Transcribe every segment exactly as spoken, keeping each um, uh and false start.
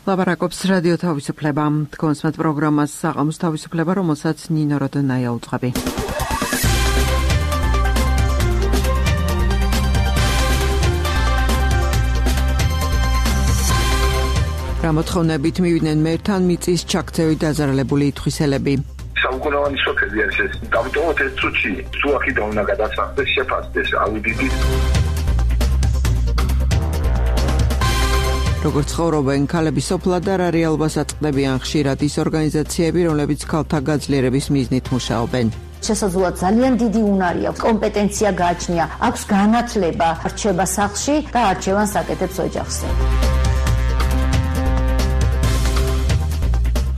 ლაპარაკობს რადიო თავისუფლება. კონსმეთ პროგრამას საღამოს თავისუფლება, რომელსაც ნინო როდონაია უძღვები. რამოთხოვნებით მივიდნენ მერთან მიწის ჩაქცევით დაზარალებული ითხვისელები. საუკუნოვანი სოფელი არის ეს. დავტოვოთ ეს წუთში, თუ აქედან უნდა გადასახდეს, შეფასდეს აუდიტით. როგორც ცხოვრობენ ქალები სოფლად და რა რეალობას აწყდებიან ხშირად ის ორგანიზაციები, რომლებიც ქალთა გაძლიერების მიზნით მუშაობენ. შესაძლოა ძალიან დიდი უნარი აქვს, კომპეტენცია გააჩნია, აქვს განათლება, რჩება სახლში და არჩევანს აკეთებს ოჯახზე.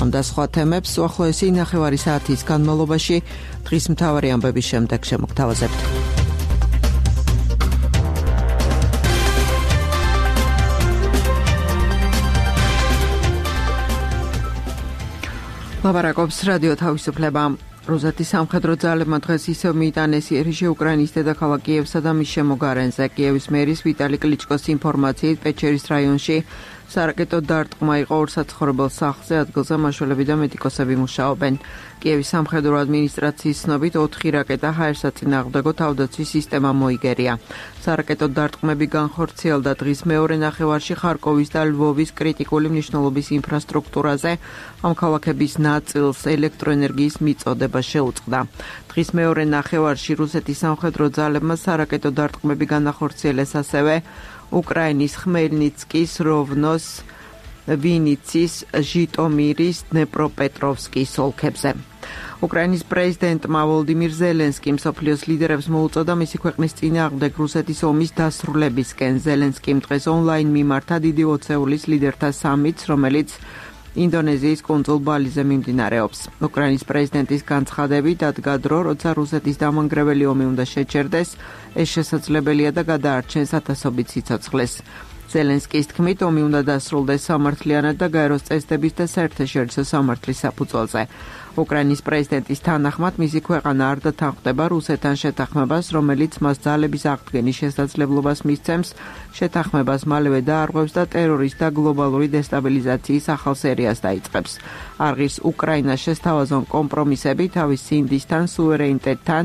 ამ და სხვა თემებს უახლოესი ნახევარი საათის განმავლობაში დღის მთავარი ამბების შემდეგ შემოგთავაზებთ. ლაპარაკობს რადიო თავისუფლება. რუსეთის სამხედრო ძალებმა დღეს ისევ მიიტანეს იერიშე უკრაინის დედაქალაქ კიევსა და მის შემოგარენზე. კიევის მერის ვიტალი კლიჩკოს ინფორმაციით პეჩერის რაიონში სარაკეტო დარტყმა იყო ორ საცხოვრებელ სახლზე, ადგილზე მაშველები და მედიკოსები მუშაობენ. კიევის სამხედრო ადმინისტრაციის ცნობით ოთხი რაკეტა ჰაერსაწინააღმდეგო თავდაცვის სისტემა მოიგერია. სარაკეტო დარტყმები განხორციელდა დღის მეორე ნახევარში ხარკოვის და ლვოვის კრიტიკული მნიშვნელობის ინფრასტრუქტურაზე. ამ ქალაქების ნაწილს ელექტროენერგიის მიწოდება შეუწყდა. დღის მეორე ნახევარში რუსეთის სამხედრო ძალებმა სარაკეტო დარტყმები განახორციელეს ასევე უკრაინის ხმელნიცკის, როვნოს, ვინიცის, ჟიტომირის, დნეპროპეტროვსკის ოლქებზე. უკრაინის პრეზიდენტმა ვოლოდიმირ ზელენსკიმ მსოფლიოს ლიდერებს მოუწოდა მისი ქვეყნის წინააღმდეგ რუსეთის ომის დასრულებისკენ. ზელენსკიმ დღეს ონლაინ მიმართა დიდი ოცეულის ლიდერთა სამიტს, რომელიც ინდონეზიის კუნძულ ბალიზე მიმდინარეობს. უკრაინის პრეზიდენტის განცხადებით დადგა დრო, როცა რუსეთის დამანგრეველი ომი უნდა შეჩერდეს, ეს შესაძლებელია და გადაარჩენს ათასობით სიცოცხლეს. ზელენსკის თქმით, ომი უნდა დასრულდეს სამართლიანად და გაეროს წესდების და საერთაშორისო სამართლის საფუძველზე. უკრაინის პრეზიდენტის თანახმად მისი ქვეყანა არ დათანხმდება რუსეთთან შეთანხმებას, რომელიც მას ძალების აღდგენის შესაძლებლობას მისცემს, შეთანხმებას მალევე დაარღვევს და ტერორის და გლობალური დესტაბილიზაციის ახალ სერიას დაიწყებს. არღირს უკრაინას შესთავაზონ კომპრომისები თავის სინდისთან, სუვერენიტეტთან,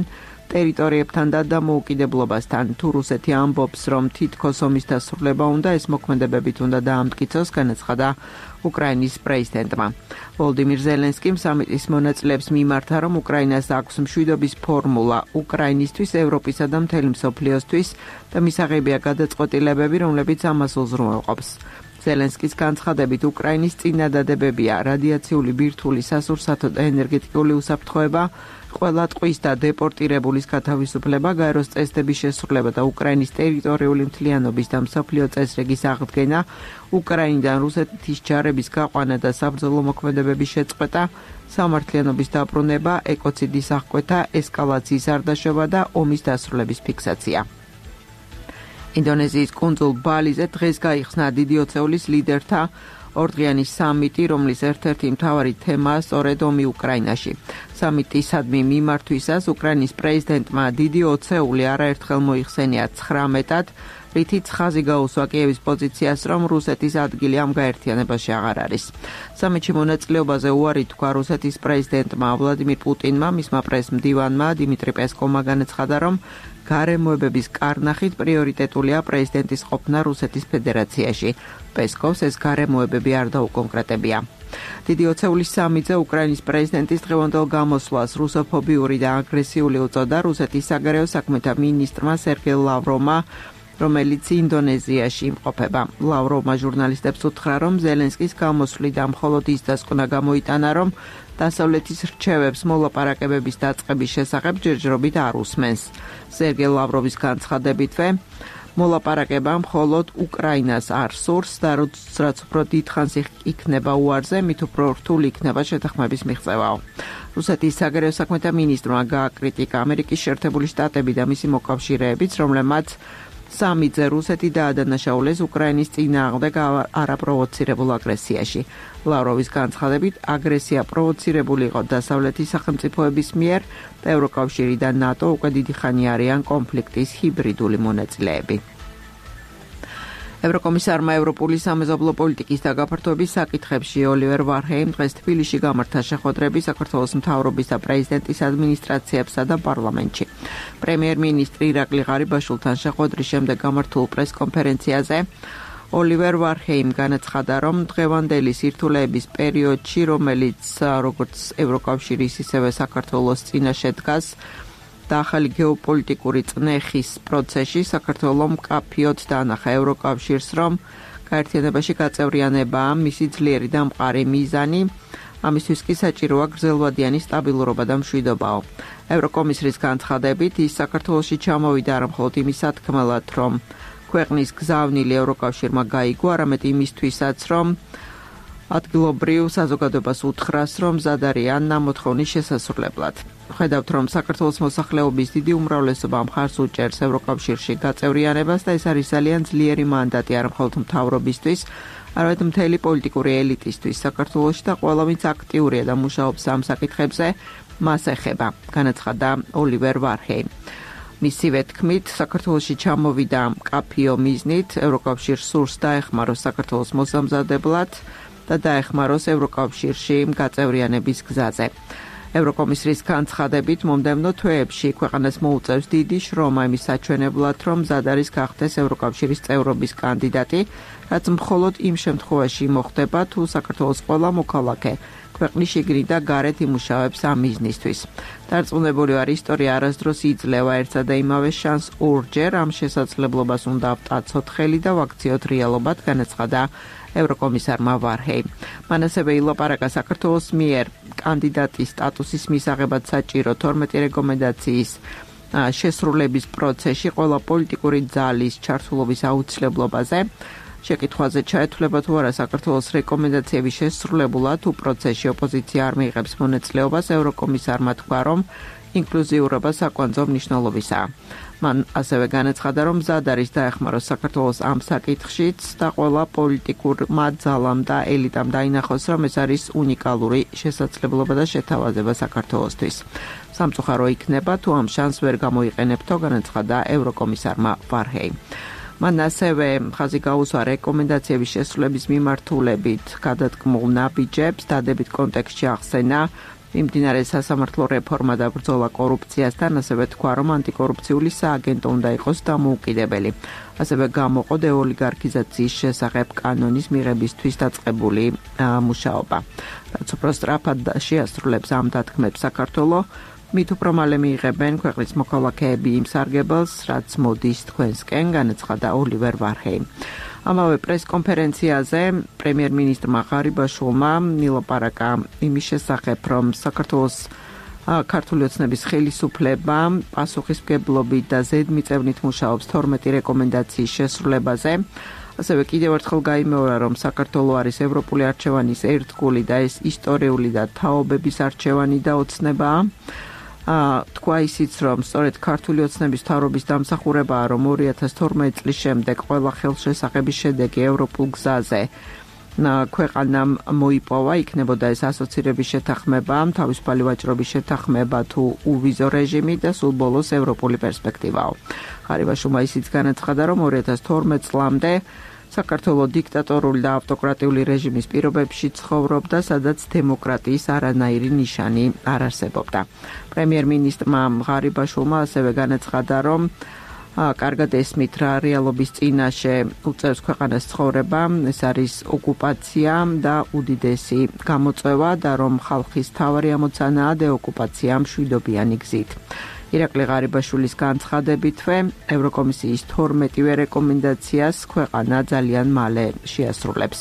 ტერიტორიებთან და დამოუკიდებლობასთან. თუ რუსეთი ამბობს, რომ თითქოს ომის დასრულება უნდა, ეს მოქმედებებით უნდა დაამტკიცოს, განაცხადა უკრაინის პრეზიდენტმა. ვოლოდიმირ ზელენსკიმ სამიტის მონაწილეებს მიმართა, რომ უკრაინას აქვს მშვიდობის ფორმულა უკრაინისთვის, ევროპისა და მთელი მსოფლიოსთვის და მისაღებია გადაწყვეტილებები, რომლებიც ამას უზრუნველყოფს. ზელენსკის განცხადებით უკრაინის წინადადებებია რადიაციული ბირთვული სასურსათო და ენერგეტიკული უსაფრთხოება, ყველა ტყვის და დეპორტირებულის გათავისუფლება, გაეროს წესდების შესრულება და უკრაინის ტერიტორიული მთლიანობის და მსოფლიო წესრიგის აღდგენა, უკრაინიდან რუსეთის ჯარების გაყვანა და საბრძოლო მოქმედებების შეწყვეტა, სამართლიანობის დაბრუნება, ეკოციდის აღკვეთა, ესკალაციის არდაშობა და ომის დასრულების ფიქსაცია. ინდონეზიის კუნძულ ბალიზე დღეს გაიხსნა დიდი ოცეულის ლიდერთა ორდღიანი სამიტი, რომლის ერთ-ერთი მთავარი თემაა სწორედ ომი უკრაინაში. სამიტისადმი მიმართვისას უკრაინის პრეზიდენტმა დიდი ოცეული არაერთხელ მოიხსენია ცხრამეტად, რითიც ხაზი გაუსვა კიევის პოზიციას, რომ რუსეთის ადგილი ამ გაერთიანებაში აღარ არის. სამიტში მონაწილეობაზე უარი თქვა რუსეთის პრეზიდენტმა ვლადიმირ პუტინმა, მისმა პრესმდივანმა დიმიტრი პესკოვმა განაცხადა, რომ გარემოებების კარნახით პრიორიტეტულია პრეზიდენტის ყოფნა რუსეთის ფედერაციაში. პესკოვს ეს გარემოებები არ დაუკონკრეტებია. დიდი ოცეულის სამიტზე უკრაინის პრეზიდენტის დღევანდელ გამოსვლას რუსოფობიური და აგრესიული უწოდა რუსეთის საგარეო საქმეთა მინისტრმა სერგეი ლავროვმა, რომელიც ინდონეზიაში იმყოფება. ლავროვმა ჟურნალისტებს უთხრა, რომ ზელენსკის გამოსვლიდან მხოლოდ ის დასკვნა გამოიტანა, რომ დასავლეთის რჩევებს მოლაპარაკებების დაწყების შესახებ ჯერჯერობით არ უსმენს. სერგეი ლავროვის განცხადებითვე, მოლაპარაკება მხოლოდ უკრაინას არ სურს და რაც უფრო დიდხანს იქნება უარზე, მით უფრო რთული იქნება შეთანხმების მიღწევაო. რუსეთის საგარეო საქმეთა მინისტრმა გააკრიტიკა ამერიკის შეერთებული შტატები და მისი მოკავშირეებიც, რომლებმაც სამიტზე რუსეთი დაადანაშაულეს უკრაინის წინააღმდეგ არაპროვოცირებულ აგრესიაში. ლავროვის განცხადებით, აგრესია პროვოცირებული იყო დასავლეთის სახელმწიფოების მიერ და ევროკავშირი და ნატო უკვე დიდი ხანი არიან კონფლიქტის ჰიბრიდული მონაწილეები. ევროკომისარმა ევროპული სამეზობლო პოლიტიკის და გაფართოების საკითხებში ოლივერ ვარჰეიმ დღეს თბილისში გამართა შეხვედრები საქართველოს მთავრობის და პრეზიდენტის ადმინისტრაციებსა და პარლამენტში. პრემიერ-მინისტრი ირაკლი ღარიბაშვილთან შეხვედრის შემდეგ გამართულ პრესკონფერენციაზე ოლივერ ვარჰეიმ განაცხადა, რომ დღევანდელი სირთულეების პერიოდში, რომელიც როგორც ევროკავშირის, ისევე საქართველოს წინაშე დგას, და ახალი გეოპოლიტიკური წნეხის პროცესში საქართველოს მკაფიოდ დაანახა ევროკავშირს, რომ გაერთიანებაში გაწევრიანებაა მისი ძლიერი და მყარი მიზანი, ამისთვის კი საჭიროა გრძელვადიანი სტაბილურობა და მშვიდობაო. ევროკომისრის განცხადებით, ის საქართველოში ჩამოვიდა არა მხოლოდ იმის სათქმელად, რომ ქვეყნის გზავნილი ევროკავშირმა გაიგო, არამედ იმისთვისაც, რომ ადგილობრივ საზოგადოებას უთხრას, რომ მზად არიან ნამოთხოვნის შესასრულებლად. ხედავთ, რომ საქართველოს მოსახლეობის დიდი უმრავლესობა მხარს უჭერს ევროკავშირში გაწევრიანებას და ეს არის ძალიან ძლიერი მანდატი არა მხოლოდ მთავრობისთვის, არამედ მთელი პოლიტიკური ელიტისთვის საქართველოში და ყველა ვინც აქტიურია და მუშაობს ამ საკითხებზე, მას ეხება, განაცხადა ოლივერ ვარჰეიმ. მისივე თქმით, საქართველოში ჩამოვიდა მკაფიო მიზნით, ევროკავშირს სურს დაეხმაროს საქართველოს მოსამზადებლად და დაეხმაროს ევროკავშირში გაწევრიანების გზაზე. ევროკომისრის განცხადებით, მომდევნო თვეებში ქვეყანას მოუწევს დიდი შრომა იმის საჩვენებლად, რომ მზად არის გახდეს ევროკავშირის წევრობის კანდიდატი, რაც მხოლოდ იმ შემთხვევაში მოხდება, თუ საქართველოს ყველა მოქალაქე ქვეყნის შიგნით და გარეთ იმუშავებს ამ მიზნისთვის. დარწმუნებული ვარ, ისტორია არასდროს იძლევა ერთსა და იმავე შანსს ორჯერ, ამ შესაძლებლობას უნდა ავტაცოთ ხელი და ვაქციოთ რეალობად, განაცხადა ევროკომისარმა ვარჰეიმ. მან ასევე ილაპარაკა საქართველოს მიერ კანდიდატის სტატუსის მისაღებად საჭირო თორმეტი რეკომენდაციის შესრულების პროცესში ყველა პოლიტიკური ძალის ჩართულობის აუცილებლობაზე. შეკითხვაზე ჩაეთვლება თუ არა საქართველოს რეკომენდაციების შესრულებულად, თუ პროცესში ოპოზიცია არ მიიღებს მონაწილეობას, ევროკომისარმა თქვა, რომ ინკლუზიურობა საკვანძო მნიშვნელობისაა. მან ასევე განაცხადა, რომ მზად არის დაეხმაროს საქართველოს ამ საკითხშიც და ყველა პოლიტიკურმა ძალამ და ელიტამ დაინახოს, რომ ეს არის უნიკალური შესაძლებლობა და შეთავაზება საქართველოსთვის. სამწუხარო იქნება, თუ ამ შანსს ვერ გამოიყენებთო, განაცხადა ევროკომისარმა ვარჰეიმ. მან ასევე ხაზი გაუსვა რეკომენდაციების შესრულების მიმართულებით გადადგმულ ნაბიჯებს, დადებით კონტექსტში ახსენა მიმდინარე სასამართლო რეფორმა და ბრძოლა კორუფციასთან, ასევე თქვა, რომ ანტიკორუფციული სააგენტო უნდა იყოს დამოუკიდებელი. ასევე გამოყო დეოლიგარქიზაციის შესახებ კანონის მიღებისთვის დაწყებული მუშაობა. რაც უფრო სწრაფად შეასრულებს ამ დათქმებს საქართველო, მით უფრო მალე მიიღებენ ქვეყნის მოქალაქეები იმ სარგებელს, რაც მოდის თქვენსკენ, განაცხადა ოლივერ ვარჰეიმ. ამავე პრესკონფერენციაზე პრემიერ-მინისტრმა ღარიბაშვილმა ილაპარაკა იმის შესახებ, რომ საქართველოს ქართული ოცნების ხელისუფლება პასუხისმგებლობით და ზედმიწევნით მუშაობს თორმეტი რეკომენდაციის შესრულებაზე. ასევე კიდევ ერთხელ გაიმეორა, რომ საქართველო არის ევროპული არჩევანის ერთგული და ეს ისტორიული და თაობების არჩევანი და ოცნებაა. თქვა ისიც, რომ სწორედ ქართული ოცნების მთავრობის დამსახურებაა, რომ ორი ათას თორმეტი წლის შემდეგ ყველა ხელშესახების შედეგი ევროპულ გზაზე ქვეყანამ მოიპოვა, იქნებოდა ეს ასოცირების შეთანხმება, თავისუფალი ვაჭრობის შეთანხმება თუ უვიზო რეჟიმი და სულ ბოლოს ევროპული პერსპექტივაო. ღარიბაშვილმა ისიც განაცხადა, რომ ორი ათას თორმეტი წლამდე საქართველო დიქტატორული და ავტოკრატიული რეჟიმის პირობებში ცხოვრობდა, სადაც დემოკრატიის არანაირი ნიშანი არ არსებობდა. პრემიერ-მინისტრმა ღარიბაშვილმა ასევე განაცხადა, რომ კარგად ესმით რა რეალობის წინაშე უწევს ქვეყანას ცხოვრება, ეს არის ოკუპაცია და უდიდესი გამოწვევა და რომ ხალხის თავარი ამოცანაა დეოკუპაცია მშვიდობიანი გზით. ირაკლი ღარიბაშვილის განცხადებითვე ევროკომისიის თორმეტივე რეკომენდაციას ქვეყანა ძალიან მალე შეასრულებს.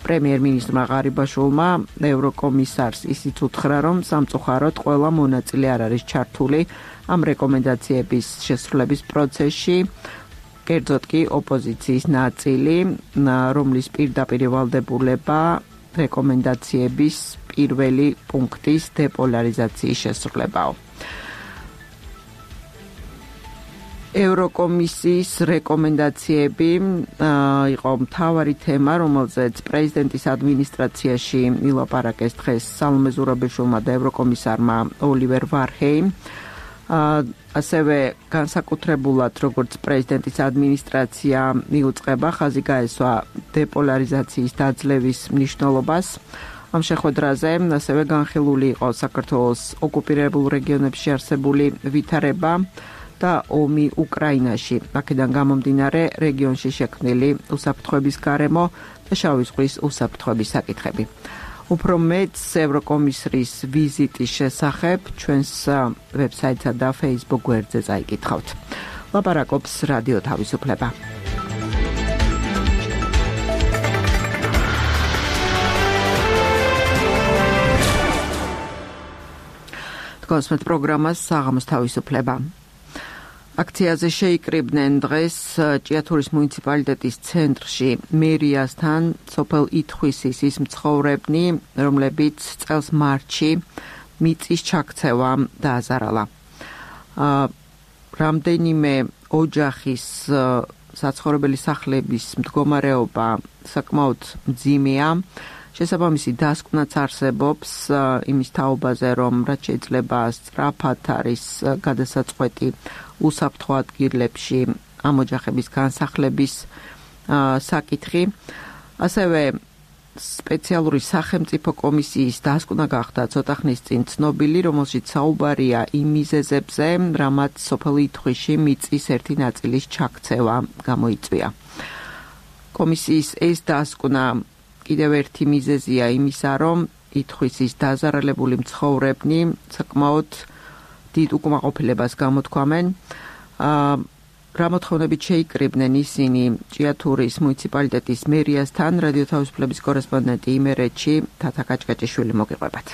პრემიერ-მინისტრმა ღარიბაშვილმა ევროკომისარს ისიც უთხრა, რომ სამწუხაროდ ყველა მონაწილე არ არის ჩართული ამ რეკომენდაციების შესრულების პროცესში, კერძოდ კი ოპოზიციის ნაწილი, რომლის პირდაპირ ვალდებულება რეკომენდაციების პირველი პუნქტის დეპოლარიზაციის შესრულებაა. ევროკომისიის რეკომენდაციები იყო მთავარი თემა, რომელზეც პრეზიდენტის ადმინისტრაციაში ილაპარაკეს დღეს სალომე ზურაბიშვილმა და ევროკომისარმა ოლივერ ვარჰეიმ. ასევე განსაკუთრებულად როგორც პრეზიდენტის ადმინისტრაცია მიუძღვება ხაზი გაესვა დეპოლარიზაციის დაძლევის მნიშვნელობას. ამ შეხვედრაზე ასევე განხილული იყო საქართველოს ოკუპირებულ რეგიონებში არსებული ვითარება და ომი უკრაინაში. აქედან გამომდინარე რეგიონში შექმნილი უსაფრთხოების გარემო და შავი ზღვის უსაფრთხოების საკითხები. უფრო მეტს ევროკომისრის ვიზიტის შესახებ ჩვენს ვებსაიტსა და Facebook გვერდზე წაიკითხავთ. ლაპარაკობს რადიო თავისუფლება. კონსმეთ პროგრამას საღამოს თავისუფლება. აქციაზე შეიკრიბნენ დღეს ჭიათურის მუნიციპალიტეტის ცენტრში მერიასთან სოფელ ითხვისის მცხოვრებნი, რომლებიც წელს მარტში მიწის ჩაქცევა დააზარალა. რამდენიმე ოჯახის საცხოვრებელი სახლების მდგომარეობა საკმაოდ მძიმეა. შესაბამისი დასკვნაც არსებობს იმის თაობაზე, რომ რაც შეიძლება სწრაფად არის გადასაწყვეტი უსაფრთხო ადგილებში ამ ოჯახების განსახლების საკითხი. ასევე სპეციალური სახელმწიფო კომისიის დასკვნა გახდა ცოტა ხნის წინ ცნობილი, რომელშიც საუბარია იმ მიზეზებზე, რამაც სოფელ ითხვისში მიწის ერთი ნაწილის ჩაქცევა გამოიწვია. კომისიის ეს დასკვნა კიდევ ერთი მიზეზია იმისა, რომ ითხვისის დაზარალებული მცხოვრებნი საკმაოდ დიდ უკმაყოფილებას გამოთქვამენ. რა მოთხოვნებით შეიკრიბნენ ისინი ჭიათურის მუნიციპალიტეტის მერიასთან, რადიო თავისუფლების კორესპონდენტი იმერეთში თათა კაჭკაჭიშვილი მოგიყვებათ.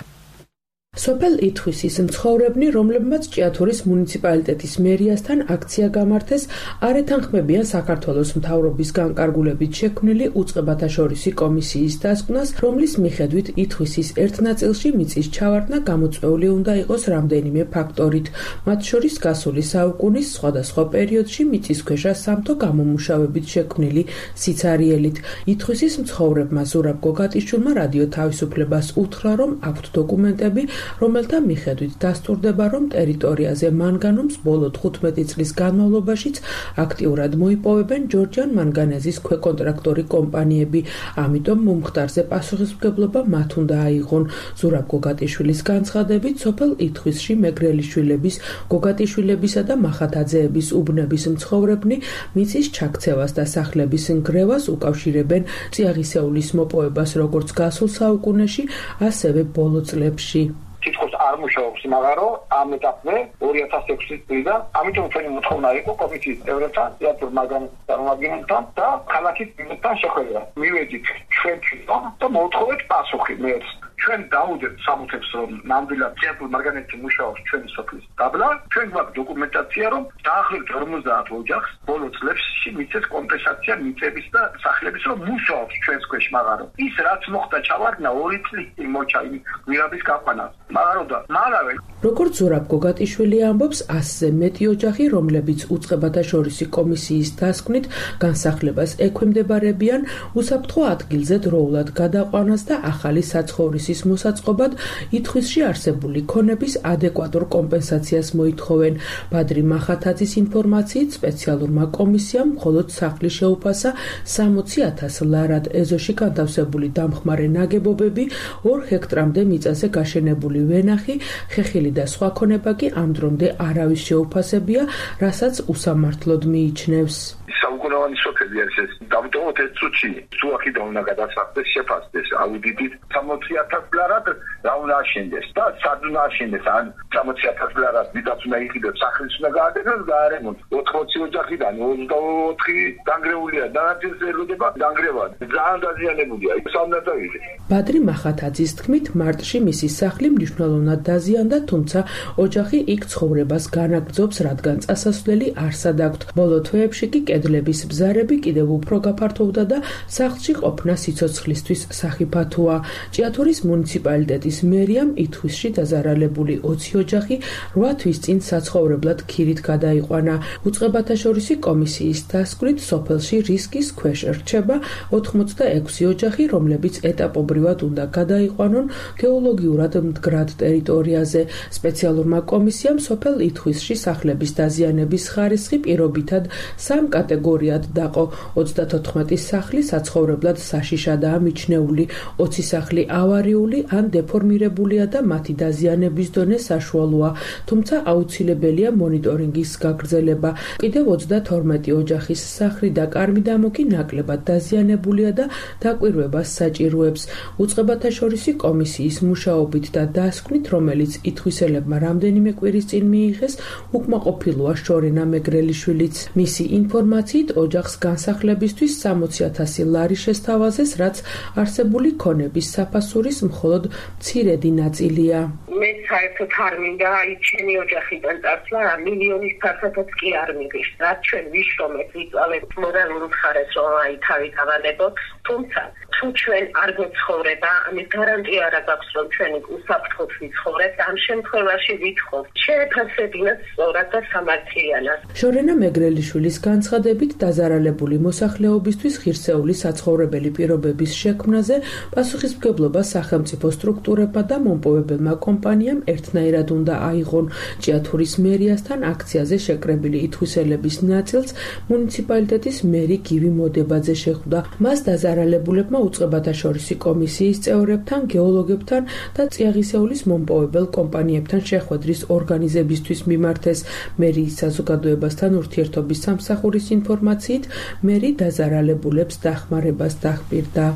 სოფელ ითხვისის მცხოვრებნი, რომლებმაც ჭიათურის მუნიციპალიტეტის მერიასთან აქცია გამართეს, არ ეთანხმებიან საქართველოს მთავრობის განკარგულებით შექმნილი უწყებათაშორისი კომისიის დასკვნას, რომლის მიხედვით ითხვისის ერთ ნაწილში მიწის ჩავარდნა გამოწვეული უნდა იყოს რამდენიმე ფაქტორით, მათ შორის გასული საუკუნის სხვადასხვა პერიოდში მიწისქვეშა სამთო გამომუშავებით შექმნილი სიცარიელით. ითხვისის მცხოვრებმა ზურაბ გოგატიშვილმა რადიო თავისუფლებას უთხრა, რომ აქვთ დოკუმენტები, რომელთა მიხედვით დასტურდება, რომ ტერიტორიაზე მანგანუმს ბოლო თხუთმეტი წლის განმავლობაშიც აქტიურად მოიპოვებენ ჯორჯიან მანგანეზის ქვეკონტრაქტორი კომპანიები, ამიტომ მომხდარზე პასუხისმგებლობა მათ უნდა აიღონ. ზურაბ გოგატიშვილის განცხადებით, სოფელ ითხვისში მეგრელიშვილების, გოგატიშვილებისა და მახათაძეების უბნების მცხოვრებნი მიწის ჩაქცევას და სახლების ნგრევას უკავშირებენ წიაღისეულის მოპოვებას როგორც გასულ საუკუნეში, ასევე ბოლო წლებში. თითქოს არ მუშაობს იმაღარო ამ ეტაპზე ორი ათას ექვსი წლიდან, ამიტომ ჩვენი მოთხოვნა იყო კომისიის წევრებთან, ჭიათურ მაგან წარმომადგენელთან და ქალაქის მერთან შეხვედრა. მივედით ჩვენში და მოვთხოვეთ პასუხი მერს. ჩვენ დავუძებთ სამუხებს, რომ ნამდვილად ჭიათურ მარგანეცი მუშაობს ჩვენი სოფლის დაბლა. ჩვენ გვაქვს დოკუმენტაცია, რომ დაახლოებით ორმოცდაათ ოჯახს ბოლო წლებში მიწის კომპენსაცია მიწების და სახლების რომ მუშაობს ჩვენს ქვეშ მაღარო. ის რაც მოხდა ჩავარდნა ორი წლის წინ მოჩა იმ გვირაბის გაყვანას. მაღაროდა მალავე. როგორც ზურაბ გოგატიშვილი ამბობს, ასზე მეტი ოჯახი, რომლებიც უწყებათაშორისი კომისიის დასკვნით განსახლებას ექვემდებარებიან, უსაფრთხო ადგილზე დროულად გადაყვანას და ახალი საცხოვრისის მოსაწყობად ითხვისში არსებული ქონების ადეკვატურ კომპენსაციას მოითხოვენ. ბადრი მახათაძის ინფორმაციით, სპეციალურმა კომისიამ მხოლოდ სახლის შეუფასა სამოცი ათას ლარად, ეზოში განთავსებული დამხმარე ნაგებობები, ორ ჰექტრამდე მიწაზე გაშენებული ვენახი, ხეხილი და სხვა ქონება კი ამ დრომდე არავის შეუფასებია, რასაც უსამართლოდ მიიჩნევს. საუკუნოვანი სოფელი არის ეს. დავტოვოთ ეს წუთში, თუ აქედან უნდა გადასახდეს, შეფასდეს აუდიტით სამოცი ათას ლარად რა უნდა აშენდეს და სად უნდა აშენდეს, ან სამოცი ათას ლარად დიდაც უნდა იყიდოს, სახლის უნდა გააკეთოს, გაარემონტ. ოთხმოცი ოჯახიდან ოცდაოთხი დანგრეულია და ნაწილს ელოდება დანგრევა. ძალიან დაზიანებულია. ის არ უნდა დავიღე. ბადრი მახათაძის თქმით, მარტში მისი სახლი მნიშვნელოვნად დაზიანდა, თუმცა ოჯახი იქ ცხოვრებას განაგრძობს, რადგან წასასვლელი არსად აქვთ. ბოლო თვეებში კი კედლები დაზიანების ბზარები კიდევ უფრო გაფართოვდა და სახლში ყოფნა სიცოცხლისთვის სახიფათოა. ჭიათურის მუნიციპალიტეტის მერიამ ითხვისში დაზარალებული ოცი ოჯახი რვა თვის წინ საცხოვრებლად ქირით გადაიყვანა. უწყებათაშორისი კომისიის დასკვნით სოფელში რისკის ქვეშ რჩება ოთხმოცდაექვსი ოჯახი, რომლებიც ეტაპობრივად უნდა გადაიყვანონ გეოლოგიურად მდგრად ტერიტორიაზე. სპეციალურმა კომისიამ სოფელ ითხვისში სახლების დაზიანების ხარისხი პირობითად სამ კატეგორიად დაყო. ოცდათოთხმეტი სახლი საცხოვრებლად საშიშადაა მიჩნეული, ოცი სახლი ავარიული ან დეფორმირებულია და მათი დაზიანების დონე საშუალოა, თუმცა აუცილებელია მონიტორინგის გაგრძელება. კიდევ ოცდათორმეტი ოჯახის სახლი და კარ-მიდამო კი ნაკლებად დაზიანებულია და დაკვირვებას საჭიროებს. უწყებათაშორისი კომისიის მუშაობით და დასკვნით, რომელიც ითხვისელებმა რამდენიმე კვირის წინ მიიღეს, უკმაყოფილოა შორენა მეგრელიშვილიც. მისი ინფორმაციით ოჯახს განსახლებისთვის სამოცი ათასი ლარი შესთავაზეს, რაც არსებული ქონების საფასურის მხოლოდ მცირედი ნაწილია. მე საერთოდ არ მინდა აი ჩემი ოჯახიდან წასვლა, მილიონის ფასადაც კი არ მიგის. რაც ჩვენ ვიშრომეთ, ვიწვალეთ მორალურ მხარეს, რომ აი თავი დავანებოთ, თუმცა თუ ჩვენ არ გვცხოვრება, ამის გარანტია არ აქვს, რომ ჩვენი უსაფრთხოდ ვიცხოვრებთ. ამ შემთხვევაში ვითხოვთ, შეეფასებინათ სწორად და სამართლიანად. შორენა მეგრელიშვილის განცხადებით, დაზარალებული მოსახლეობისთვის ღირსეული საცხოვრებელი პირობების შექმნაზე პასუხისმგებლობა სახელმწიფო სტრუქტურებმა და მომპოვებელმა კომპანიამ ერთნაირად უნდა აიღონ. ჭიათურის მერიასთან აქციაზე შეკრებილი ითხვისელების ნაწილს მუნიციპალიტეტის მერი გივი მოდებაძე შეხვდა. მას დაზარალებულებმა უწყებათაშორისი კომისიის წევრებთან, გეოლოგებთან და წიაღისეულის მომპოვებელ კომპანიებთან შეხვედრის ორგანიზებისთვის მიმართეს. მერიის საზოგადოებასთან ურთიერთობის სამსახურის ინფორმაციით, მერი დაზარალებულებს დახმარებას დახპირდა.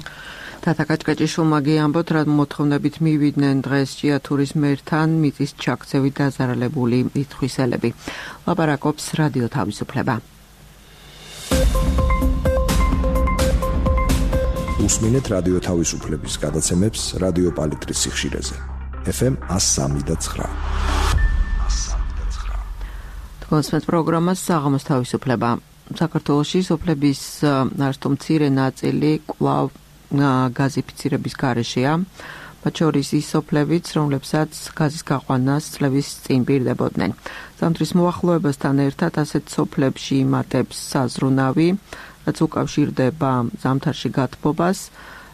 თათა კაჭკაჭიშვილმა გიამბოთ, რა მოთხოვნებით მივიდნენ დღეს ჭიათურის მერთან მიწის ჩაქცევით დაზარალებული ითხვისელები. ლაპარაკობს რადიო თავისუფლება. უსმინეთ რადიო თავისუფლების გადაცემებს რადიო პალიტრის სიხშირეზე. ეფ ემ one oh three და nine. თქვენს პროგრამას საღამოს თავისუფლება. საქართველოში სოფლების არც თუ მცირე ნაწილი კვლავ გაზიფიცირების გარეშეა, მათ შორის ის სოფლებიც, რომლებსაც გაზის გაყვანას წლების წინ პირდებოდნენ. ზამთრის მოახლოებასთან ერთად ასეთ სოფლებში იმატებს საზრუნავი, რაც უკავშირდება ზამთარში გათბობას.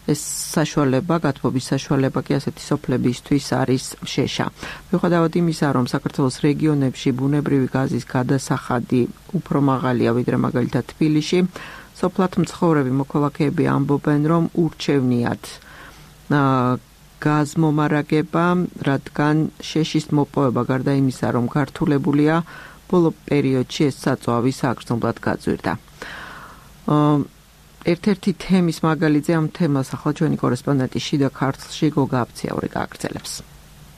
ეს საშუალება, გათბობის საშუალება კი ასეთი სოფლებისთვის არის შეშა. მიუხედავად იმისა, რომ საქართველოს რეგიონებში ბუნებრივი გაზის გადასახადი უფრო მაღალია ვიდრე მაგალითად თბილისში, სოფლად მცხოვრები მოქალაქეები ამბობენ, რომ ურჩევნიათ გაზმომარაგება, რადგან შეშის მოპოვება გარდა იმისა, რომ გართულებულია, ბოლო პერიოდში ეს საწვავი საგრძნობლად გაძვირდა. ერთ-ერთი თემის მაგალითზე ამ თემას ახლა ჩვენი კორესპონდენტი შიდა ქართლში გოგა აფციაური გააგრძელებს.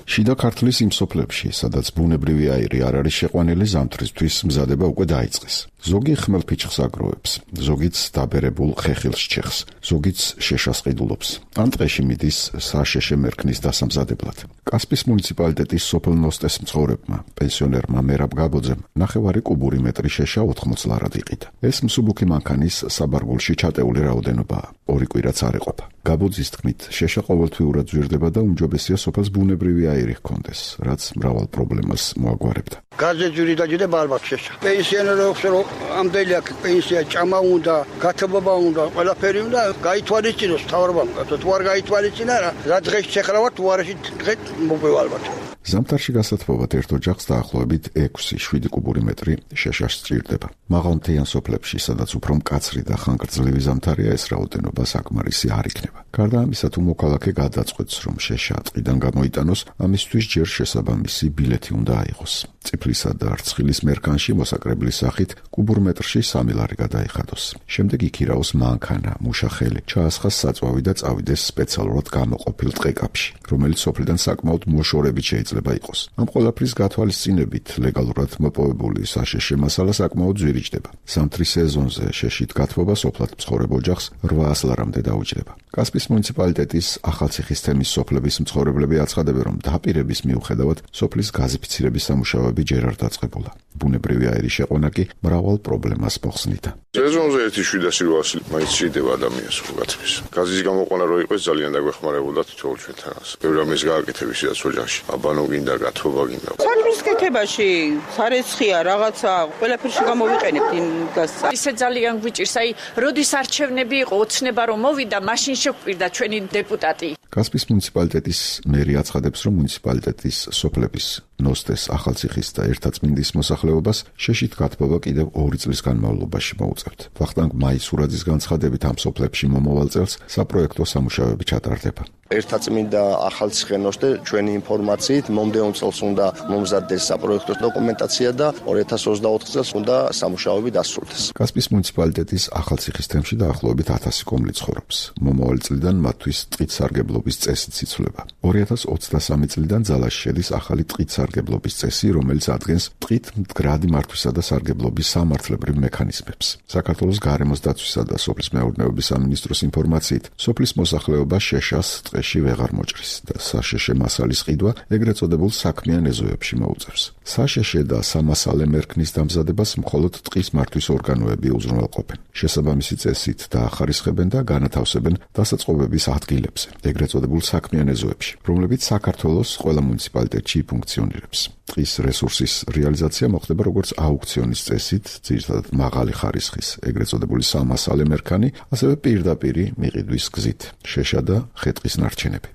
შიდა ქართლის იმ სოფლებში, სადაც ბუნებრივი აირი არ არის შეყვანილი, ზამთრისთვის მზადება უკვე დაიწყეს. ზოგი ხმელფიჭხს აგროვებს, ზოგიც დაბერებულ ხეხილს ჩეხს, ზოგიც შეშას ყიდულობს. ან ტყეში მიდის საშეშე მერქნის დასამზადებლად. კასპის მუნიციპალიტეტის სოფელ ნოსტეს მცხოვრებმა, პენსიონერმა მერაბ გაბოძემ, ნახევარი კუბური მეტრი შეშა ოთხმოც ლარად იყიდა. ეს მსუბუქი მანქანის საბარგულში ჩატეული რაოდენობაა. ორი კვირაც არ ეყოფა. გაბოძის თქმით, შეშა ყოველთვიურად ზვირდება და უმჯობესია სოფელს ბუნებრივი აირი ჰქონდეს, რაც მრავალ პრობლემას მოაგვარებდა. გაზეთ ზვირდაჯდა ბალბათ შეშა. პენსიონერებს რომ ამდელი აქ პენსია ჭამა უნდა, გათბობა უნდა, ყველაფერი უნდა გაითვალისწინოს მთავრობამ. თუ არ გაითვალისწინა რა, რა დღეს შეხრავათ, თუ არ ეშით დღეს მოპევა ალბათ. ზამთარში გასათბობად ერთ ოჯახს დაახლოებით ექვსი შვიდი კუბური მეტრი შეშას სჭირდება. მაღალმთიან სოფლებში, სადაც უფრო მკაცრი და ხანგრძლივი ზამთარია, ეს რაოდენობა საკმარისი არ იქნება. გარდა ამისა, თუ მოქალაქე გადაწყვეტს, რომ შეშა ტყიდან გამოიტანოს, ამისთვის ჯერ შესაბამისი ბილეთი უნდა აიღოს. წიფლისა და რცხილის მერქანში მოსაკრებლის სახით კუბურ მეტრში სამი ლარი გადაიხადოს. შემდეგ იქირაოს მანქანა, მუშახელი, ჩაასხას საწვავი და წავიდეს სპეციალურად გამოყოფილ ტყეკაპში, რომელიც სოფლიდან საკმაოდ მოშორებით შეიძლება იყოს. ამ ყველაფრის გათვალისწინებით ლეგალურად მოპოვებული საშეშე მასალა საკმაოდ ძვირიჭდება. ზამთრის სეზონზე შეშით გათბობა სოფლად მცხოვრებ ოჯახს რვაას ლარამდე დაუჯდება. კასპის მუნიციპალიტეტის ახალციხის თემის სოფლების მცხოვრებლები აცხადებენ, რომ დაპირების მიუხედავად სოფლის გაზიფიცირების სამუშაოები საშუალებები ჯერ არ დაწყებულა. ბუნებრივი აირის შეყვანა კი მრავალ პრობლემას მოხსნიდა. სეზონზე ერთი შვიდასი რვასი მაინც ჭირდება ადამიანს გაცვის. გაზის გამოყვანა რო იყოს ძალიან დაგვეხმარებოდა თითოეულ ჩვენთანაც. ბევრი ამის გააკეთების სადაც ოჯახში. აბანო გინდა, გათბობა გინდა. საქმის კეთებაში სარეცხია რაღაცა ყველაფერში გამოვიყენებთ იმ გასა. ისე ძალიან გვიჭირს, აი, როდის არჩევნები იყო, ოცნება რომ მოვიდა, მაშინ შეგვპირდა ჩვენი დეპუტატი. კასპიის მუნიციპალიტეტის მერი აცხადებს, რომ მუნიციპალიტეტის სოფლების ნოსტეს, ახალციხის და ერთაწმინდის მოსახლეობას შეშით გათბობა კიდევ ორი წლის განმავლობაში მოუწევთ. ვახტანგ მაისურაძის განცხადებით ამ სოფლებში მომავალ წელს საპროექტო სამუშაოები ჩატარდება. ერთაწმინდა ახალციხე ნოსტე ჩვენი ინფორმაციით მომდევნო წელს უნდა მომზადდეს საპროექტო დოკუმენტაცია და ორი ათას ოცდაოთხ წელს უნდა სამუშაოები დასრულდეს. კასპიის მუნიციპალიტეტის ახალციხის თემში დაახლოებით ათასი კომლი ცხოვრობს. მომავალი წლიდან მათთვის ტყით სარგებლობის წესიც იცვლება. ორი ათას ოცდასამი წლიდან ძალაში შედის ახალი ტყით სარგებლობის წესი, რომელიც ადგენს ტყით მდგრადი მართვისა და სარგებლობის სამართლებრივ მექანიზმებს. საქართველოს გარემოს დაცვისა და სოფლის მეურნეობის სამინისტროს ინფორმაციით, სოფლის მოსახლეობა შეშას ტყეში ვეღარ მოჭრის და საშეშე მასალის ყიდვა ეგრეთ წოდებულ საქმიან ეზოებში მოუწევს. საშეშე და სამასალე მერქნის დამზადებას მხოლოდ ტყის მართვის ორგანოები უზრუნველყოფენ. შესაბამისი წესით დაახარისხებენ და განათავსებენ დასაწყობების ადგილებზე, ეგრეთ წოდებულ საქმიან ეზოებში, რომლებიც საქართველოს ყველა მუნიციპალიტეტში ფუნქციონირებს. ტყის რესურსის რეალიზაცია მოხდება როგორც აუქციონის წესით, ძირითადად მაღალი ხარისხის, ეგრეთ წოდებული სამასალე მერქანი, ასევე პირდაპირი მიყიდვის გზით, შეშა და ხე-ტყის ნარჩენები.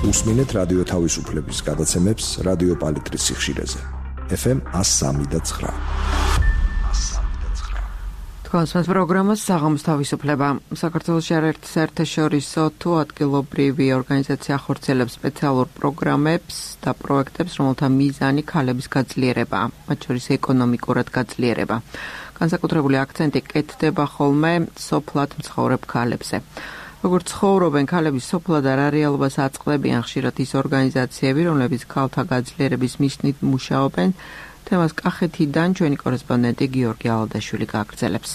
უსმინეთ რადიო თავისუფლების გადაცემებს რადიო პალიტრის სიხშირეზე. ეფ ემ one oh three point nine. თქვენს პროგრამას საღამოს თავისუფლება. საქართველოში არაერთი საერთაშორისო თუ ადგილობრივი ორგანიზაცია ახორციელებს სპეციალურ პროგრამებს და პროექტებს, რომელთა მიზანი ქალების გაძლიერება, მათ შორის ეკონომიკურად გაძლიერება. განსაკუთრებული აქცენტი კეთდება ხოლმე სოფლად მცხოვრებ ქალებზე. როგორც ცხოვრობენ ქალები სოფლად არ რეალობას აწყდებიან ხშირად ის ორგანიზაციები, რომლებიც ქალთა გაძლიერების მიზნით მუშაობენ. თემას კახეთიდან ჩვენი კორესპონდენტი გიორგი ალადაშვილი გააგრძელებს.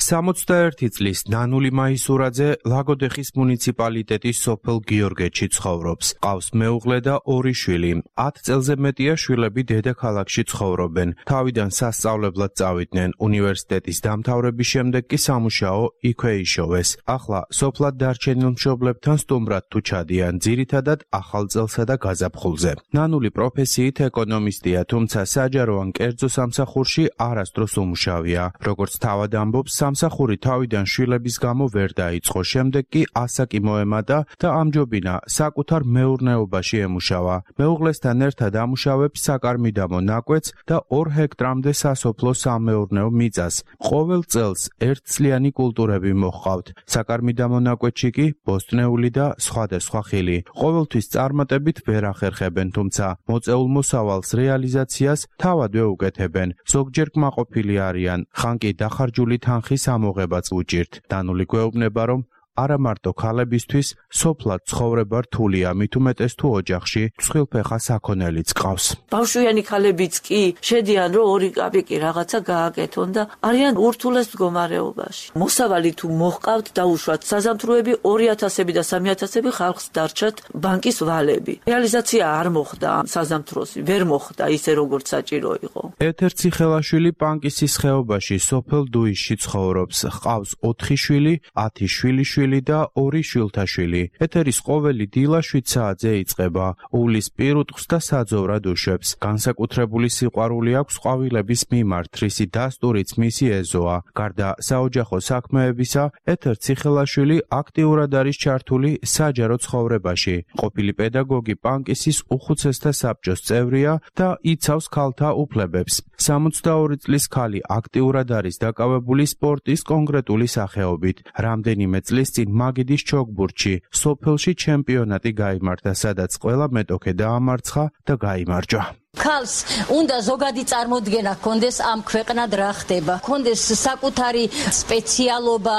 სამოცდაერთი წლის ნანული მაისურაძე ლაგოდეხის მუნიციპალიტეტის სოფელ გიორგეთში ცხოვრობს. ყავს მეუღლე და ორი შვილი. ათ წელზე მეტია შვილები დედაქალაქში ცხოვრობენ. თავიდან სასწავლებლად წავიდნენ. უნივერსიტეტის დამთავრების შემდეგ კი სამუშაო იქვე იშოვეს. ახლა სოფლად დარჩენილ მშობლებთან სტუმრად თუ ჩადიან, ძირითადად ახალ წელსა და გაზაფხულზე. ნანული პროფესიით ეკონომისტია, თუმცა საჯარო ან კერძო სამსახურში არასდროს უმუშავია. როგორც თავად ამბობს, სამსახური თავიდან შვილების გამო ვერ დაიწყო, შემდეგ კი ასაკი მოემატა და ამჯობინა საკუთარ მეურნეობაში ემუშავა. მეუღლესთან ერთად ამუშავებს საკარმიდამო ნაკვეთს და ორ ჰექტრამდე სასოფლო სამეურნეო მიწას. ყოველ წელს ერთწლიანი კულტურები მოჰყავთ. საკარმიდამო ნაკვეთში კი ბოსტნეული და სხვადასხვა ხილი. ყოველთვის წარმატებით ვერ ახერხებენ, თუმცა მოწეულ მოსავალს რეალიზაციას თავადვე უკეთებენ. ზოგჯერ კმაყოფილი არიან, ხან კი დახარჯული თანხის ამოღებაც უჭირთ. დანული გვეუბნება, რომ არა მარტო ქალებისთვის სოფლად ცხოვრება რთულია, მით უმეტეს თუ ოჯახში მსხვილფეხა საქონელიც ყავს. ბავშვიანი ქალებიც კი შედიან, რომ ორი კაპიკი რაღაცა გააკეთონ და არიან ურთულეს მდგომარეობაში. მოსავალი თუ მოჰყავთ, დაუშვათ საზამთროები ორი ათასები და სამი ათასები ხალხს დარჩათ ბანკის ვალები. რეალიზაცია არ მოხდა საზამთროს, ვერ მოხდა ისე როგორც საჭირო იყო. ეთერ ციხელაშვილი პანკისის ხეობაში სოფელ დუისში ცხოვრობს. ყავს ოთხი შვილი, ათი შვილიშვილი და ორი შვილთაშვილი. ეთერის ყოველი დილა შვიდ საათზე იწყება. უვლის პირუტყვს და საძოვრად უშვებს. განსაკუთრებული სიყვარული აქვს ყვავილების მიმართ, რისი დასტურიც მისი ეზოა. გარდა საოჯახო საქმეებისა, ეთერ ციხელაშვილი აქტიურად არის ჩართული საჯარო ცხოვრებაში. ყოფილი პედაგოგი პანკისის უხუცესთა საბჭოს წევრია და იცავს ქალთა უფლებებს. სამოცდაორი წლის ქალი აქტიურად არის დაკავებული სპორტის კონკრეტული სახეობით. რამდენიმე წლის წინ მაგიდის ჩოგბურთში სოფელში ჩემპიონატი გაიმართა, სადაც ყველა მეტოქე დაამარცხა და გაიმარჯვა. ქალს უნდა ზოგადი წარმოდგენა ჰქონდეს ამ ქვეყნად რა ხდება, ჰქონდეს საკუთარი სპეციალობა,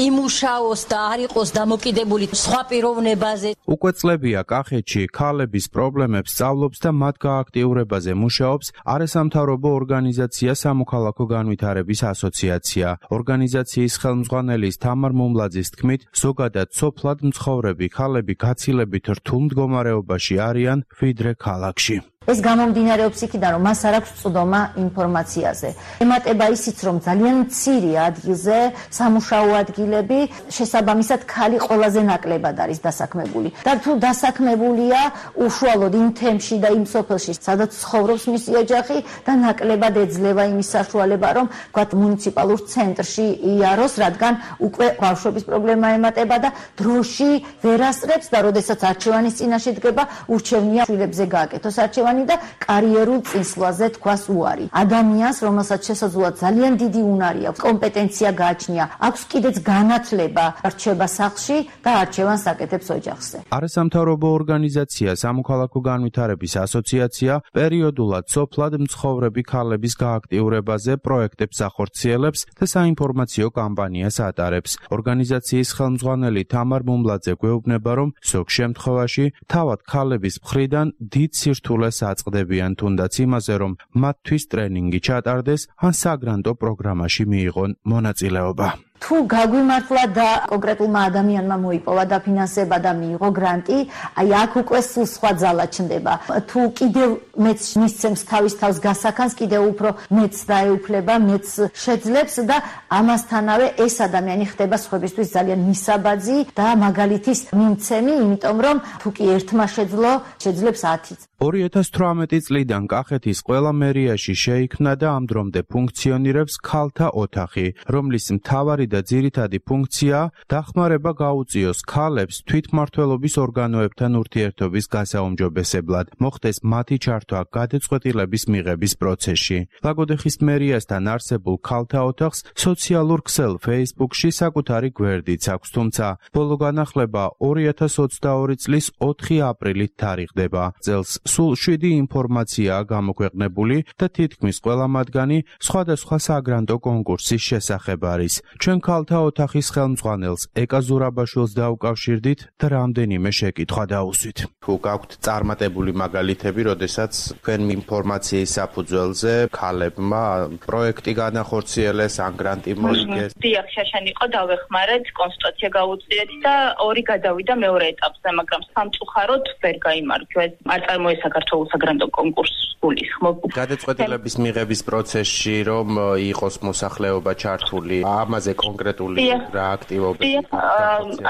იმუშაოს და არ იყოს დამოკიდებული სხვა პიროვნებაზე. უკვე წლებია კახეთში ქალების პრობლემებს სწავლობს და მათ გააქტიურებაზე მუშაობს არასამთავრობო ორგანიზაცია სამოქალაქო განვითარების ასოციაცია. ორგანიზაციის ხელმძღვანელის თამარ მუმლაძის თქმით, ზოგადად სოფლად მცხოვრები ქალები გაცილებით რთულ მდგომარეობაში არიან ვიდრე ქალაქში. ეს გამომდინარეობს იქიდან, რომ მას არ აქვს წვდომა ინფორმაციაზე. ემატება ისიც, რომ ძალიან მცირე ადგილზე სამუშაო ადგილები შესაბამისად ქალი ყველაზე ნაკლებად არის დასაქმებული. და თუ დასაქმებულია უშუალოდ იმ თემში და იმ სოფელში, სადაც ცხოვრობს მისი ოჯახი და ნაკლებად ეძლევა იმის საშუალება, რომ ვთქვათ, მუნიციპალურ ცენტრში იაროს, რადგან უკვე ბავშვების პრობლემა ემატება და დროში ვერ ასწრებს და როდესაც არჩევანის წინაშე დგება, ურჩევნია შვილებზე გააკეთოს არჩევანი და კარიერულ წინსვლაზე თქვას უარი. ადამიანს, რომელსაც შესაძლოა ძალიან დიდი უნარი აქვს, კომპეტენცია გააჩნია, აქვს კიდეც განათლება, რჩება სახლში და არჩევანს აკეთებს ოჯახზე. არასამთავრობო ორგანიზაცია სამოქალაქო განვითარების ასოციაცია პერიოდულად სოფლად მცხოვრები ქალების გააქტიურებაზე პროექტებს ახორციელებს და საინფორმაციო კამპანიას ატარებს. ორგანიზაციის ხელმძღვანელი თამარ მუმლაძე გვეუბნება, რომ ზოგ შემთხვევაში თავად ქალების მხრიდან დიდ სირთულეს აწყდებიან თუნდაც იმაზე, რომ მათთვის ტრენინგი ჩატარდეს ან საგრანტო პროგრამაში მიიღონ მონაწილეობა. თუ გაგვიმართლა და კონკრეტულმა ადამიანმა მოიპოვა დაფინანსება და მიიღო გრანტი, აი აქ უკვე სულ სხვა ძალა ჩნდება. თუ კიდევ მეც მისცემს თავის თავს გასახანს, კიდევ უფრო მეც დაეუფლება, მეც შეძლებს და ამასთანავე ეს ადამიანი ხდება სხვებისთვის ძალიან მისაბაძი და მაგალითის მიმცემი, იმიტომ რომ თუ კი ერთმა შეძლო, შეძლებს ათიც. ორი ათას თვრამეტი წლიდან კახეთის ყველა მერიაში შეიქმნა და ამ დრომდე ფუნქციონირებს ქალთა ოთახი, რომლის მთავარი და ძირითადი ფუნქცია დახმარება გაუწიოს ქალებს თვითმმართველობის ორგანოებთან ურთიერთობის გასაუმჯობესებლად, მოხდეს მათი ჩართვა გადაწყვეტილების მიღების პროცესში. ლაგოდეხის მერიასთან არსებულ ქალთა ოთახს სოციალურ ქსელ Facebook-ში საკუთარი გვერდიც აქვს, თუმცა ბოლო განახლება ორი ათას ოცდაორი წლის ოთხი აპრილით თარიღდება. წელს სულ შვიდი ინფორმაციაა გამოქვეყნებული და თითქმის ყველა მათგანი სხვადასხვა საგრანტო კონკურსის შესახებ არის. ჩვენ ქალთა ოთახის ხელმძღვანელს ეკა ზურაბაშვილს დაუკავშირდით და რამდენიმე შეკითხვა დაუსვით. თუ გაქვთ წარმატებული მაგალითები, როდესაც თქვენ ინფორმაციის საფუძველზე ქალებმა პროექტი განახორციელეს, ან გრანტი მოიგეს? დიახ, შაშანი იყო, დავეხმარეთ, კონსულტაცია გაუწიეთ და ორი გადავიდა მეორე ეტაპზე, მაგრამ სამწუხაროდ ვერ გაიმარჯვეს. არ წარმოეს საქართველოს საგრანტო კონკურსს გულისხმობ. გადაწყვეტილების მიღების პროცესში რომ იყოს მოსახლეობა ჩართული, ამაზე კონკრეტული რა აქტივობები?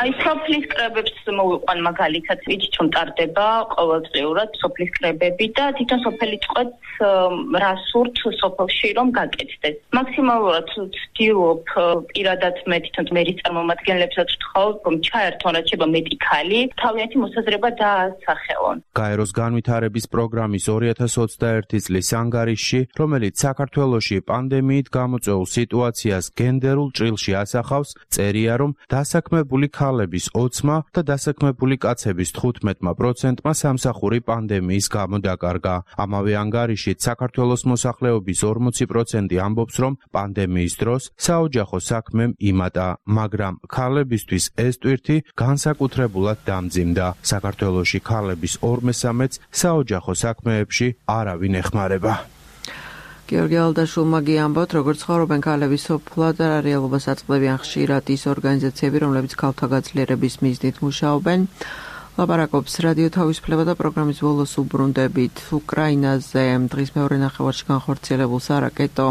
აი, სოფლის კრებებს მოვიყვან მაგალითად, ვიცით რომ ტარდება ყოველწლიურად სოფლის კრებები და თვითონ სოფელი წყვეტს რა სურთ სოფელში რომ გაკეთდეს. მაქსიმალურად ვცდილობ პირადად მე თვითონ მერის წარმომადგენლებსაც ვთხოვ, რომ ჩაერთონ რაც შეიძლება მეტი ქალი, თავიანთი მოსაზრება დაასახელონ. გაეროს განვითარების პროგრამის ორი ათას ოცდაერთი წლის ანგარიშში, რომელიც საქართველოში პანდემიით გამოწვეულ სიტუაციას გენდერულ ჭრილში ასახავს, წერია, რომ დასაქმებული ქალების ოცმა და დასაქმებული კაცების თხუთმეტ პროცენტმა სამსახური პანდემიის გამო დაკარგა. ამავე ანგარიშით საქართველოს მოსახლეობის ორმოცი პროცენტი ამბობს, რომ პანდემიის დროს საოჯახო საქმემ იმატა, მაგრამ ქალებისთვის ეს ტვირთი განსაკუთრებულად დამძიმდა. საქართველოში ქალების ორ მესამედს საოჯახო საქმეებში არავინ ეხმარება. გიორგი ალდაშულმა გიამბოთ, როგორც ცხოვრობენ ქალები სოფლად და რეალობას აწყდებიან ხშირად ის ორგანიზაციები, რომლებიც ქალთა გაძლიერების მიზნით მუშაობენ. ლაპარაკობს რადიო თავისუფლება და პროგრამის ბოლოს უბრუნდებით უკრაინაზე დღის მეორე ნახევარში განხორციელებულ სარაკეტო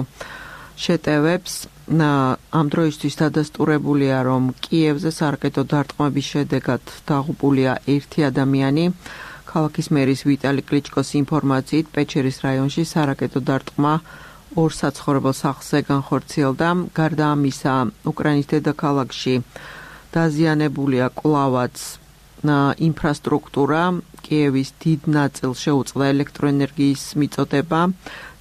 შეტევებს. ამ დროისთვის დადასტურებულია, რომ კიევზე სარაკეტო დარტყმების შედეგად დაღუპულია ერთი ადამიანი. ქალაქის მერის ვიტალი კლიჩკოს ინფორმაციით, პეჩერის რაიონში სარაკეტო დარტყმა ორ საცხოვრებელ სახლზე განხორციელდა. გარდა ამისა, უკრაინის დედაქალაქში დაზიანებულია კვლავაც ინფრასტრუქტურა, კიევის დიდ ნაწილს შეუწყდა ელექტროენერგიის მიწოდება.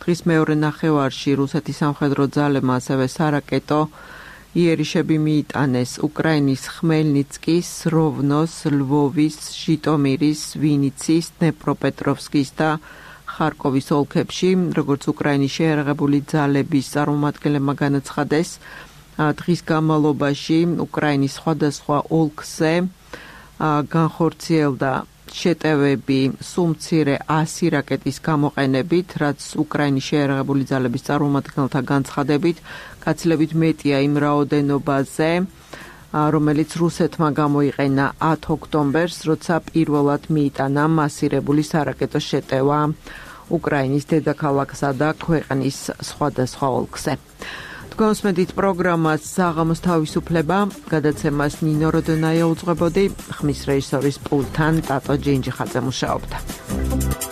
დღის მეორე ნახევარში რუსეთის სამხედრო ძალებმა ასევე სარაკეტო იერიშები მიიტანეს უკრაინის ხმელნიცკის, როვნოს, ლვოვის, ჟიტომირის, ვინიცის, დნეპროპეტროვსკის და ხარკოვის ოლქებში, როგორც უკრაინის შეიარაღებული ძალების წარმომადგენლებმა განაცხადეს, დღის განმავლობაში უკრაინის სხვადასხვა ოლქზე განხორციელდა შეტევები სულ მცირე ასი რაკეტის გამოყენებით, რაც უკრაინის შეიარაღებული ძალების წარმომადგენელთა განცხადებით გაცილებით მეტია იმ რაოდენობაზე, რომელიც რუსეთმა გამოიყენა ათი ოქტომბერს, როცა პირველად მიიტანა მასირებული სარაკეტო შეტევა უკრაინის დედაქალაქსა და ქვეყნის სხვადასხვა ოლქზე. Თქვენსმედით პროგრამას საღამოს თავისუფლება, გადაცემას ნინო როდონაია უძღვებოდი, ხმის რეჟისორის პულტთან ტატო ჯინჯიხაძე მუშაობდა.